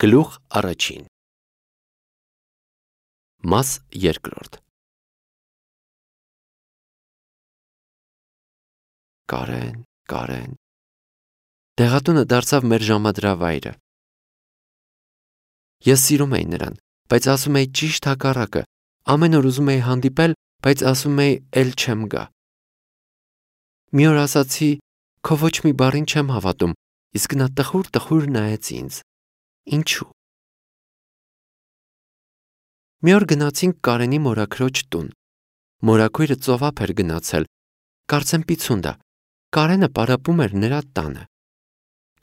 Գլուխ առաջին Մաս երկրորդ Կարեն Դեղատունը դարձավ մեր ժամադրավայրը։ Ես սիրում էի նրան, բայց ասում էի ճիշտ հակառակը, ամեն օր ուզում էի հանդիպել, բայց ասում էի էլ չեմ գա։ Մի օր ասացի, քո ոչ մի բառին չեմ հավատում, իսկ նա տխուր նայեց ինձ։ Ինչու՞։ Մի օր գնացինք Կարենի մորաքրոջ տուն։ Մորաքույրը ծովափ էր գնացել, կարծեմ պիցունդա, Կարենը պարապում էր նրա տանը։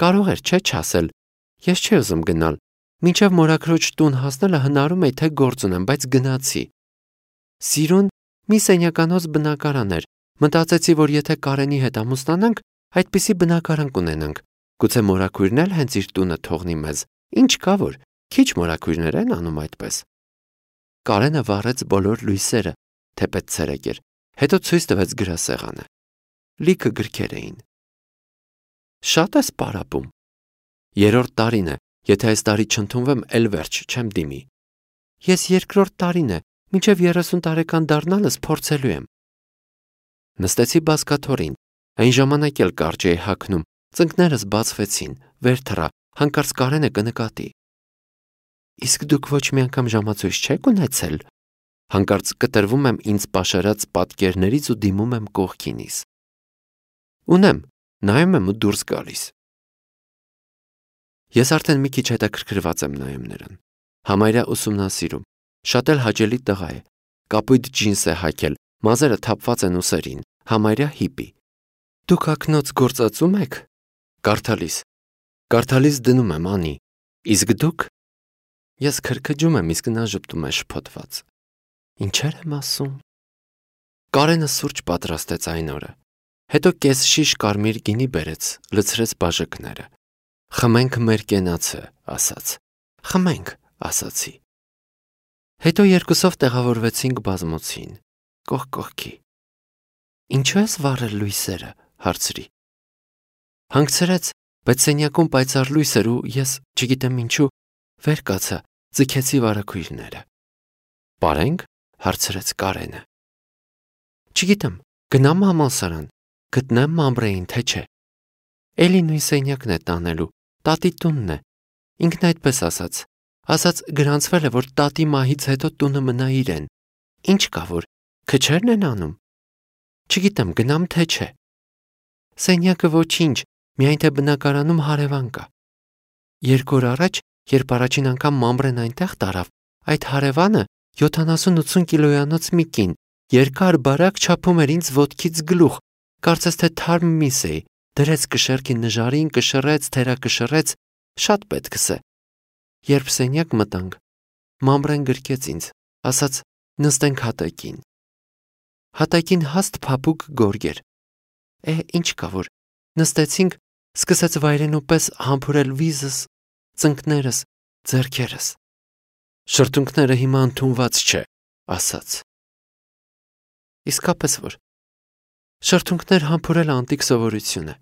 Կարող էր չէ չասել, ես չի ուզում գնալ, մինչև մորաքրոջ տուն հասնելը հնարում էի, թե գործ ունեմ, բայց գնացի։ Սիրուն մի սենյականոց բնակարան էր, մտածեցի, որ եթե Կարենի հետ ամուսնանանք, այդպիսի բնակարան կունենանք, գուցե մորաքույրն էլ հենց իր տունը թողնի մեզ, ինչ կա որ, քիչ մորաքույրներ են անում այդպես։ Կարենը վառեց բոլոր լույսերը, թեպետ ցերեկ էր, հետո ցույց տվեց գրասեղանը։ Լիքը գրքեր էին։ Շատ ես պարապում։ Երրորդ տարին է, եթե այս տարի չընդունվեմ, էլ վերջ, չեմ դիմի։ Ես երկրորդ տարին է, մինչև 30 տարեկան դառնալս փորձելու եմ։ Նստեցի բազկաթոռին, այն ժամանակ էլ կարճ էի հագնում, ծնկներս բացվեցին, վեր թռա, հանկարծ Կարենը կնկատի։ Իսկ դուք ոչ մի անգամ ժամացույց չեք ունեցել։ Հանկարծ կտրվում եմ ինձ պաշարած պատկերներից ու դիմում եմ կողքինիս։ Ունեմ, նայում եմ ու դուրս գալիս։ Ես արդեն մի քիչ հետաքրքրված եմ նայում նրան։ Համարյա ուսումնասիրում, շատ էլ հաճելի տղա է, կապույտ ջինս է հագել, մազերը թափված են ուսերին, համարյա հիպի։ Դուք ակնոց գործածում եք։ Կարդալիս դնում եմ, անի։ Իսկ դուք։ Ես քրքջում եմ, իսկ նա ժպտում է շփոթված։ Ինչեր եմ ասում։ Կարենը սուրճ պատրաստեց այն օրը։ Հետո կես շիշ կարմիր գինի բերեց, լցրեց բաժակները։ Խմենք մեր կենացը, ասաց։ Խմենք, ասացի։ Հետո երկուսով տեղավորվեցինք բազմոցին, կողք կողքի։ Ինչու ես վառել լույսերը, հարցրի։ Հանգցրեց, բայց սենյակում պայծառ լույս էր ու ես, չգիտեմ ինչու, վեր կացա, ձգեցի վարագույրները։ Պարենք, հարցրեց Կարենը։ Չգիտեմ, գնամ համալսարան, գտնեմ Մամբրեին, թե չէ։ Էլի նույն սենյակն է տանելու, տատի տունն է։ Ինքն այդպես ասաց գրանցվել է, որ տատի մահից հետո տունը մնա իրեն։ Ինչ կա որ, քչերն են անում։ Չգիտեմ, գնամ թե չէ։ Սենյակը ոչինչ, միայն թե բնակարանում հարևան կա։ 2 օր առաջ, երբ առաջին անգամ Մամբրեն այնտեղ տարավ, այդ հարևանը 70-80 կիլոյանոց մի կին, երկար բարակ չափում էր ինձ ոտքից գլուխ, կարծես թե թարմ միս էի, դրեց կշեռքի նժարին, կշռեց, թերակշռեց, շատ պետքս է։ Երբ սենյակ մտանք, Մամբրեն գրկեց ինձ, ասաց նստենք հատակին։ Հատակին հաստ փափուկ գորգ էր։ Ինչ կա որ, նստեցինք, սկսեց վայրենու պես համբուրել վիզս, ծնկներս, ձեռքերս։ Շրթունքները հիմա ընդունված չէ, ասաց։ Իսկապես որ, շրթունքներ համբուրելը անտիկ սովորություն է։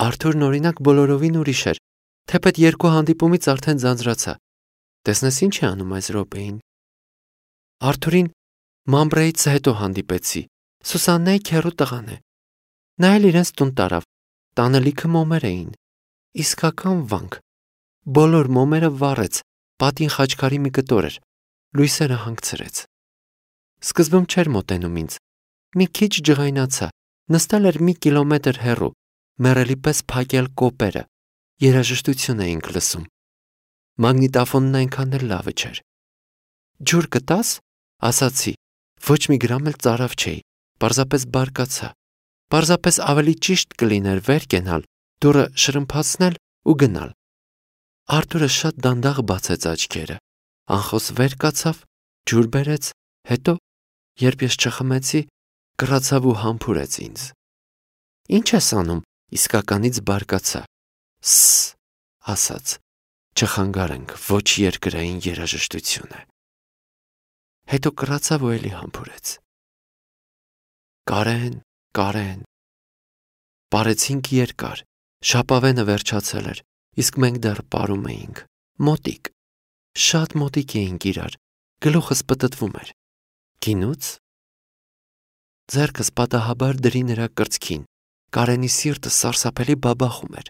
Արթուրն օրինակ բոլորովին ուրիշ էր, թեպետ 2 հանդիպումից արդեն ձանձրացա։ Տեսնես ինչ է անում այս րոպեին։ Արթուրին Մամբրեից հետո հանդիպեցի, Սուսաննայի քեռու տղան է։ Նա էլ իրենց տուն տարավ, տանը լիքը մոմեր էին։ Իսկական վանք։ Բոլոր մոմերը վառեց, պատին խաչքարի մի կտոր էր, լույսերը հանգցրեց։ Սկզբում չէր մոտենում ինձ, մի քիչ ջղայնացա, նստել էր մի կիլոմետր հեռու, մեռելի պես փակել կոպերը, երաժշտություն էինք լսում։ Մագնիտոֆոնն այնքան էլ լավը չէր։ Ջուր կտաս, ասացի, ոչ մի գրամ էլ ծարավ չէի, պարզապես բարկացա։ Պարզապես ավելի ճիշտ կլիներ վեր կենալ, դուռը շրմփացնել ու գնալ։ Արթուրը շատ դանդաղ բացեց աչքերը, անխոս վեր կացավ, ջուր բերեց, հետո, երբ ես չխմեցի, կռացավ ու համբուրեց ինձ։ Ինչ ես անում, իսկականից բարկացա։ Սս, ասաց, չխանգարենք, ոչ երկրային երաժշտություն է։ Հետո կռացավ ու էլի համբուրեց։ Կարեն։ Պարեցինք երկար, շապավենը վերջացել էր, իսկ մենք դեռ պարում էինք։ Մոտիկ, շատ մոտիկ էինք իրար, գլուխս պտտվում էր։ Գինուց։ Ձեռքս պատահաբար դրի նրա կրծքին, Կարենի սիրտը սարսափելի բաբախում էր։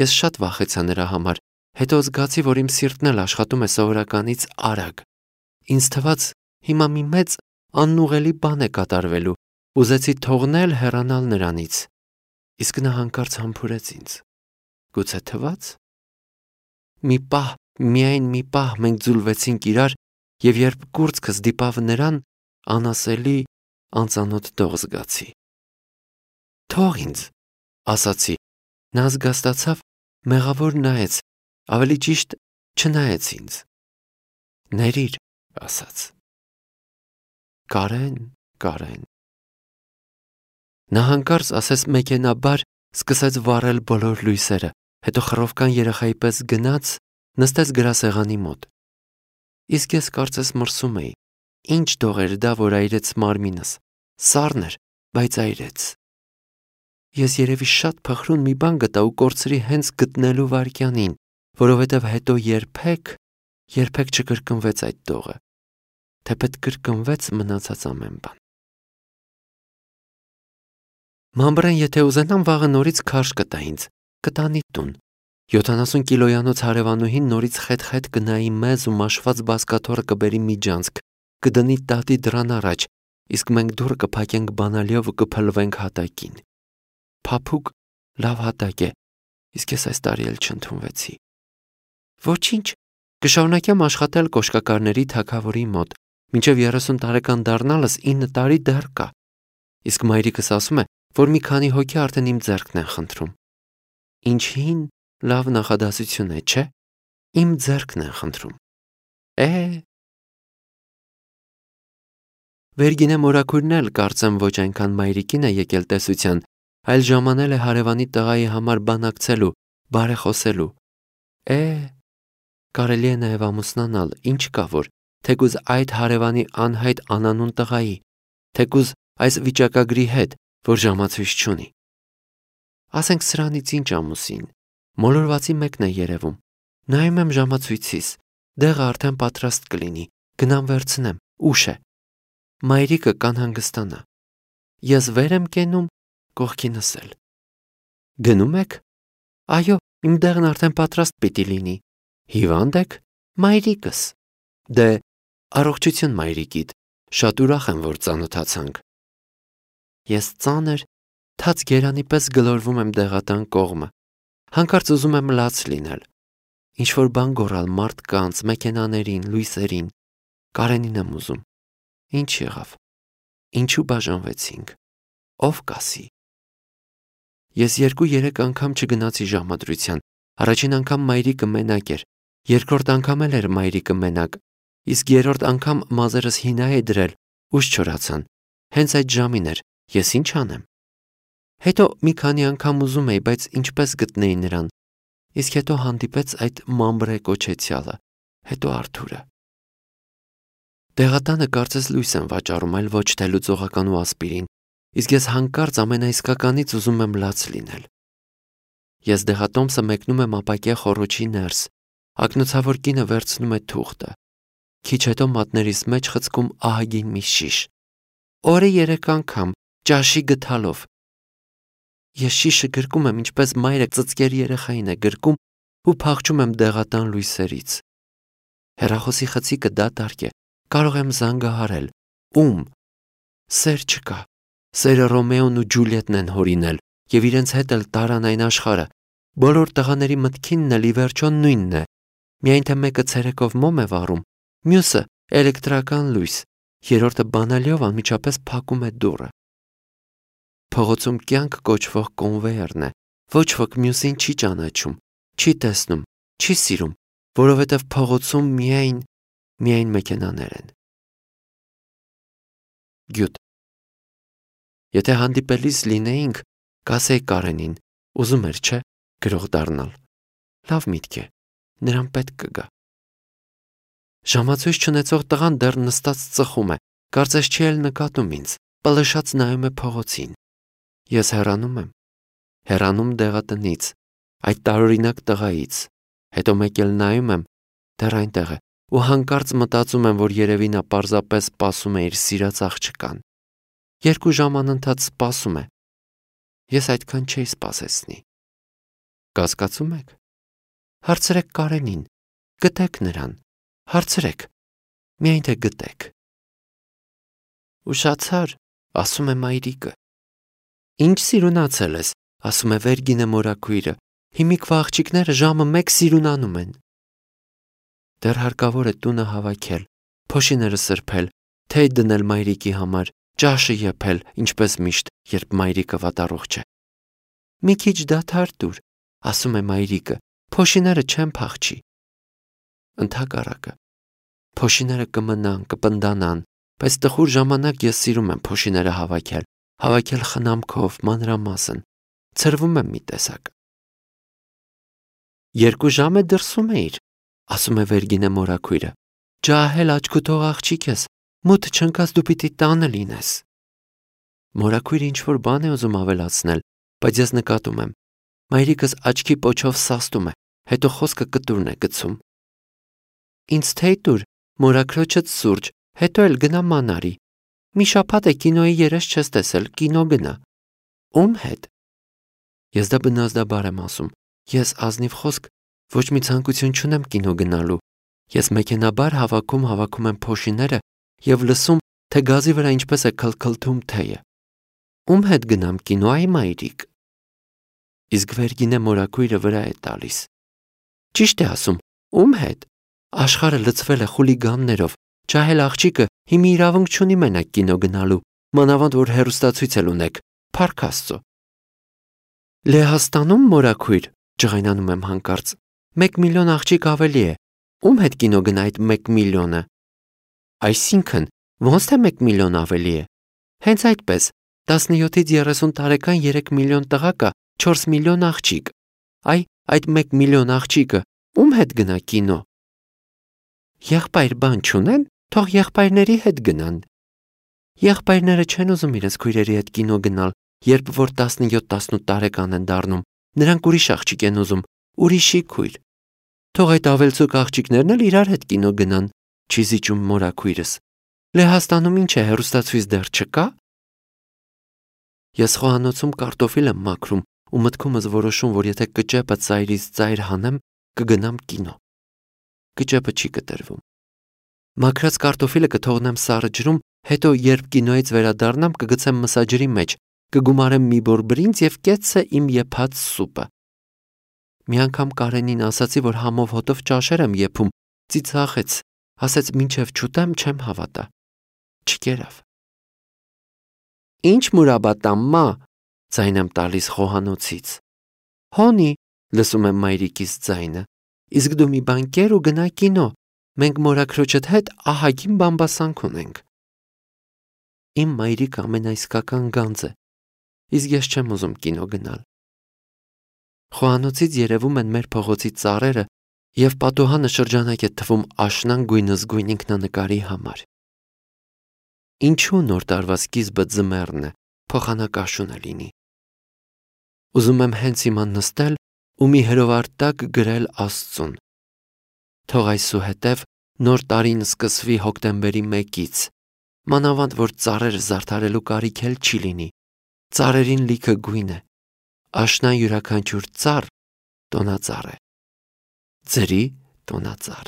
Ես շատ վախեցա նրա համար, հետո զգացի, որ իմ սիրտն էլ աշխատում է սովորականից արագ։ Ինձ թվաց, հիմա մի մեծ անուղելի բան է կատարվելու, ուզեցի թողնել հեռանալ նրանից, իսկ նա հանկարծ համբուրեց ինձ։ Գուցե թվաց։ Միայն մի պահ մենք ձուլվեցինք իրար, և երբ կուրծքս դիպավ նրան, անասելի անծանոթ դող զգացի։ Թող ինձ, ասացի, նա զգաստացավ, մեղավոր նայեց, ավելի ճիշտ չնայեց ինձ։ Ներիր, ասաց։ Կարեն։ Նա հանկարծ ասես մեքենաբար սկսեց վառել բոլոր լույսերը, հետո խռովկան երեխայի պես գնաց, նստեց գրասեղանի մոտ։ Իսկ ես կարծես մրսում էի, ինչ դող էր դա, որ այրեց մարմինս, սառն էր, բայց այրեց։ Ես երևի շատ փխրուն մի բան գտա ու կորցրի հենց գտնելու վայրկյանին, որովհետև հետո երբեք չկրկնվեց այդ դողը, թեպետ կրկնվեց մնացած ամեն բան։ Մամբրեն, եթե ուզենամ, վաղը նորից քարշ կտա ինձ, կտանի տուն։ 70 կիլոյանոց հարևանուհին նորից խետ-խետ կնայի մեզ ու մաշված բազկաթոռը կբերի միջանցք, կդնի տատի դռան առաջ, իսկ մենք դուռը կփակենք բանալիով ու կփլվենք հատակին։ Փափուկ, լավ հատակ է, իսկ ես այս տարի էլ չընդունվեցի։ Ոչինչ, կշարունակեմ աշխատել կոշկակարների թագավորի մոտ, մինչև 30 տարեկան դառնալս 9 տարի դեռ կա։ Իսկ մայրիկս ասում է, որ մի քանի հոգի արդեն իմ ձեռքն են խնդրում։ Ինչ հին, լավ նախադասություն է, չէ՞։ Իմ ձեռքն են խնդրում։ Վերգինե մորաքույրն էլ կարծեմ ոչ այնքան մայրիկին է եկել տեսության, այլ ժամանել է հարևանի տղայի համար բանակցելու, բարեխոսելու։ Կարելի է նաև ամուսնանալ, ինչ կա որ, թեկուզ այդ հարևանի անհայտ անանուն տղայի, թեկուզ այս վիճակագրի հետ, որ ժամացույց չունի։ Ասենք սրանից ինչ ամուսին, մոլորվածի մեկն է երևում։ Նայում եմ ժամացույցիս, դեղը արդեն պատրաստ կլինի, գնամ վերցնեմ, ուշ է։ Մայրիկը կանհանգստանա։ Ես վեր եմ կենում, կողքինս էլ։ Գնում եք։ Այո, իմ դեղն արդեն պատրաստ պիտի լինի։ Հիվանդ եք։ Մայրիկս։ Դե, առողջություն մայրիկիդ, շատ ուրախ եմ, որ ծանոթացանք։ Ես ծանր, թաց գերանի պես գլորվում եմ դեղատան կողմը, հանկարծ ուզում եմ լաց լինել, ինչ-որ բան գոռալ մարդկանց, մեքենաներին, լույսերին, Կարենին եմ ուզում, ինչ եղավ, ինչու բաժանվեցինք, ով կասի։ Ես 2-3 անգամ չգնացի ժամադրության, առաջին անգամ մայրիկը մենակ էր, երկրորդ անգամ էլ էր մայրիկը մենակ, իսկ երրորդ անգամ մազերս հինա է դրել, ուշ չորացան, հենց այդ ժամին էր, ես ինչ անեմ։ Հետո մի քանի անգամ ուզում էի, բայց ինչպես գտնեի նրան, իսկ հետո հանդիպեց այդ մամբրե կոչեցյալը, հետո Արթուրը։ Դեղատանը կարծես լույս եմ վաճառում, այլ ոչ թե լուծողական ու ասպիրին, իսկ ես հանկարծ ամենաիսկականից ուզում եմ լաց լինել։ Ես դեղատոմսը մեկնում եմ ապակյա խոռոչի ներս, ակնոցավոր կինը վերցնում է թուղթը, քիչ հետո մատներիս մեջ խցկում ահագին մի շիշ, օրը 3 անգամ, ճաշի գթալով։ Ես շիշը գրկում եմ, ինչպես մայրը ծծկերի երեխային է գրկում ու փախչում եմ դեղատան լույսերից։ Հեռախոսի խցիկը դատարկ է, կարող եմ զանգահարել։ Ում։ Սեր չկա։ Սերը Ռոմեոն ու Ջուլիետն են հորինել և իրենց հետ էլ տարան այն աշխարհը։ Բոլոր տղաների մտքինն էլ ի վերջո նույնն է։ Միայն թե մեկը ցերեկով մոմ է վառում, մյուսը էլեկտրական լույս, երրորդը բանալիով անմիջապես փակում է դուռը։ Փողոցում կյանք կոչվող կոնվեյերն է, ոչ ոք մյուսին չի ճանաչում, չի տեսնում, չի սիրում, որովհետև փողոցում միայն մեքենաներ են։ Գյուտ։ Եթե հանդիպելիս լինեինք, կասեի Կարենին, ուզում էր, չէ՞, գրող դառնալ։ Լավ միտք է, նրան պետք կգա։ Ժամացույց չունեցող տղան դեռ նստած ծխում է, կարծես չի էլ նկատում ինձ, պլշած նայում է փողոցին։ Ես հեռանում եմ, հեռանում դեղատնից, այդ տարօրինակ տղայից, Հետո մեկ էլ նայում եմ, դեռ այնտեղ է, ու հանկարծ մտածում եմ, որ երևի նա պարզապես սպասում է իր սիրած աղջկան։ 2 ժամ անընդհատ սպասում է։ Ես այդքան չէի սպասեցնի։ Կասկածում եք։ Հարցրեք Կարենին, գտեք նրան, հարցրեք, միայն թե գտեք։ Ուշացար, ասում է մայրիկը։ Ինչ սիրունացել ես, ասում է Վերգինե մորաքույրը, հիմիկվա աղջիկները ժամը 1 սիրունանում են։ Դեռ հարկավոր է տունը հավաքել, փոշիները սրբել, թեյ դնել մայրիկի համար, ճաշը եփել, ինչպես միշտ, երբ մայրիկը վատառողջ է։ Մի քիչ դադար տուր, ասում է մայրիկը, փոշիները չեն փախչի։ Ընդհակառակը, փոշիները կմնան, կպնդանան, բայց տխուր ժամանակ ես սիրում եմ փոշիները հավաքել խնամքով, մանրամասն, ցրվում եմ մի տեսակ։ 2 ժամ է դրսում էիր, ասում է Վերգինե մորաքույրը, ջահել աչքուտող աղջիկ ես, մութ չընկած դու պիտի տանը լինես։ Մորաքույրը ինչ-որ բան է ուզում ավելացնել, բայց ես նկատում եմ, մայրիկս աչքի պոչով սաստում է, հետո խոսքը կտուրն է գցում։ Ինձ թեյ տուր, մորաքրոջդ սուրճ, հետո էլ գնա մանարի։ Մի շաբաթ է կինոյի երես չես տեսել, կինո գնա։ Ում հետ։ Ես դա բնազդաբար եմ ասում, ես ազնիվ խոսք ոչ մի ցանկություն չունեմ կինո գնալու։ Ես մեքենաբար հավաքում եմ փոշիները և լսում, թե գազի վրա ինչպես է քլքլթում թեյը։ Ում հետ գնամ կինո, այ մայրիկ։ Իսկ Վերգինե մորաքույրը վրա է տալիս։ Ճիշտ է ասում, ում հետ։ Աշխարհը լցվել է խուլիգաններով, ջահել աղջիկը հիմի իրավունք չունի մենակ կինո գնալու, մանավանդ որ հեռուստացույց էլ ունեք, փառք Աստծո։ Լեհաստանում մորաքույր, ջղայնանում եմ հանկարծ, 1 միլիոն աղջիկ ավելի է։ Ում հետ կինո գնա այդ 1 միլիոնը։ Այսինքն, ոնց թե 1 միլիոն ավելի է։ Հենց այդպես, 17-ից 30 տարեկան 3 միլիոն տղա կա, 4 միլիոն աղջիկ։ Այդ 1 միլիոն աղջիկը ում հետ գնա կինո։ Եղբայր բան չունեն, թող եղբայրների հետ գնան։ Եղբայրները չեն ուզում իրենց քույրերի հետ կինո գնալ, երբ որ 17-18 տարեկան են դառնում, նրանք ուրիշ աղջիկ են ուզում, ուրիշի քույր։ Թող այդ ավելցուկ աղջիկներն էլ իրար հետ կինո գնան, չի զիջում մորաքույրս։ Լեհաստանում ինչ է, հեռուստացույց դեռ չկա։ Ես խոհանոցում կարտոֆիլ եմ մաքրում ու մտքումս որոշում, որ եթե կճեպը ծայրից ծայր հանեմ, կգնամ կինո։ Կճեպը չի կտրվում։ Մաքրած կարտոֆիլը կթողնեմ սառը ջրում, հետո երբ կինոյից վերադառնամ, կգցեմ մսաջրի մեջ, կգումարեմ մի բոր բրինձ և կեցցե իմ եփած սուպը։ Մի անգամ Կարենին ասացի, որ համով հոտով ճաշեր եմ եփում, ծիծաղեց, ասեց մինչև չուտեմ չեմ հավատա։ Չկերավ։ Ինչ մուրաբատամմա, ձայն եմ տալիս խոհանոցից։ Հոնի, լսում եմ մայրիկիս ձայնը, իսկ դու մի բան կեր ու գնա կինո, մենք մորաքրոջդ հետ ահագին բամբասանք ունենք։ Իմ մայրիկը ամենաիսկական գանձ է, իսկ ես չեմ ուզում կինո գնալ։ Խոհանոցից երևում են մեր փողոցի ծառերը և պատուհանը շրջանակ է թվում աշնան գույնզգույն ինքնանկարի համար։ Ինչու նոր տարվա սկիզբը ձմեռն է, փոխանակաշունը լինի։ Ուզում եմ հենց հիմա նստել ու մի հրովարտակ գրել Աստծուն։ Թող այսուհետև նոր տարին սկսվի հոկտեմբերի 1-ից, մանավանդ որ ծառերը զարդարելու կարիք էլ չի լինի։ Ծառերին լիքը գույն է։ Աշնան յուրաքանչյուր ծառ տոնածառ է։ Ձրի տոնածառ։